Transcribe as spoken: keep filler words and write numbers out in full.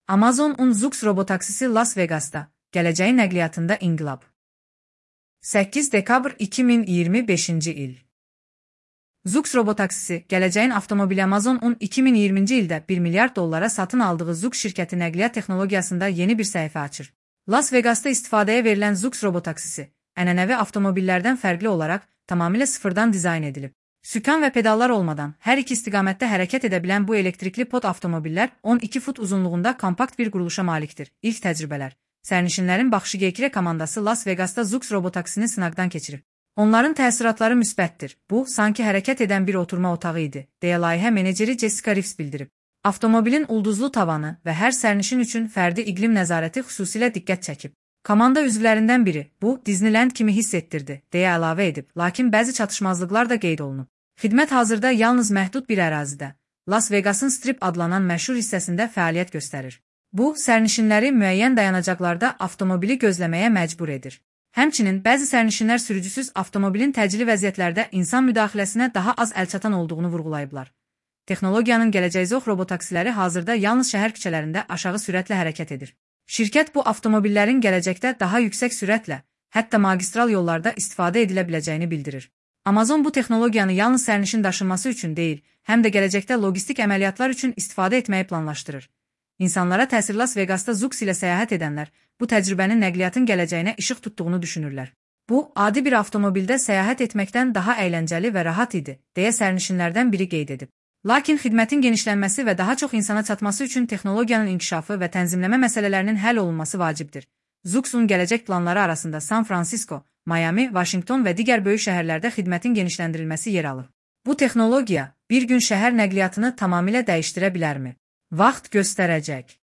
Amazon-un Zoox robotaksisi Las Vegas'ta, gələcəyin nəqliyyatında inqilab. səkkiz dekabr iki min iyirmi beşinci il. Zoox robotaksisi, gələcəyin avtomobili Amazon-un iki min iyirminci ildə bir milyard dollara satın aldığı Zoox şirkəti nəqliyyat texnologiyasında yeni bir səhifə açır. Las Vegas'ta istifadəyə verilən Zoox robotaksisi, ənənəvi avtomobillərdən fərqli olaraq tamamilə sıfırdan dizayn edilib. Sükan və pedallar olmadan hər iki istiqamətdə hərəkət edə bilən bu elektrikli pod avtomobillər on iki fut uzunluğunda kompakt bir quruluşa malikdir. İlk təcrübələr. Sərnişinlərin baxışı Gekre komandası Las Vegas'ta Zoox robotaksisini sınaqdan keçirib. Onların təsiratları müsbətdir. Bu, sanki hərəkət edən bir oturma otağı idi, deyə layihə meneceri Jessica Reeves bildirib. Avtomobilin ulduzlu tavanı və hər sərnişin üçün fərdi iqlim nəzarəti xüsusilə diqqət çəkib. Komanda üzvlərindən biri, bu, Disneyland kimi hiss etdirdi, deyə əlavə edib, lakin bəzi çatışmazlıqlar da qeyd olunub. Xidmət hazırda yalnız məhdud bir ərazidə, Las Vegas'ın Strip adlanan məşhur hissəsində fəaliyyət göstərir. Bu, sərnişinləri müəyyən dayanacaqlarda avtomobili gözləməyə məcbur edir. Həmçinin, bəzi sərnişinlər sürücüsüz avtomobilin təcili vəziyyətlərdə insan müdaxiləsinə daha az əlçatan olduğunu vurğulayıblar. Texnologiyanın gələcəyi Zoox robotaksiləri hazırda yalnız şəhər küçələrində aşağı sürətlə hərəkət edir. Şirkət bu avtomobillərin gələcəkdə daha yüksək sürətlə, hətta magistral yollarda istifadə edilə biləcəyini bildirir. Amazon bu texnologiyanı yalnız sərnişin daşınması üçün deyil, həm də gələcəkdə logistik əməliyyatlar üçün istifadə etməyi planlaşdırır. İnsanlara təsir Las Vegas'ta Zoox ilə səyahət edənlər bu təcrübənin nəqliyyatın gələcəyinə işıq tutduğunu düşünürlər. Bu, adi bir avtomobildə səyahət etməkdən daha əyləncəli və rahat idi, deyə sərnişinlərdən biri qeyd edib. Lakin xidmətin genişlənməsi və daha çox insana çatması üçün texnologiyanın inkişafı və tənzimləmə məsələlərinin həll olunması vacibdir. Zoox'un gələcək planları arasında San Francisco, Miami, Washington və digər böyük şəhərlərdə xidmətin genişləndirilməsi yer alır. Bu texnologiya bir gün şəhər nəqliyyatını tamamilə dəyişdirə bilərmi? Vaxt göstərəcək.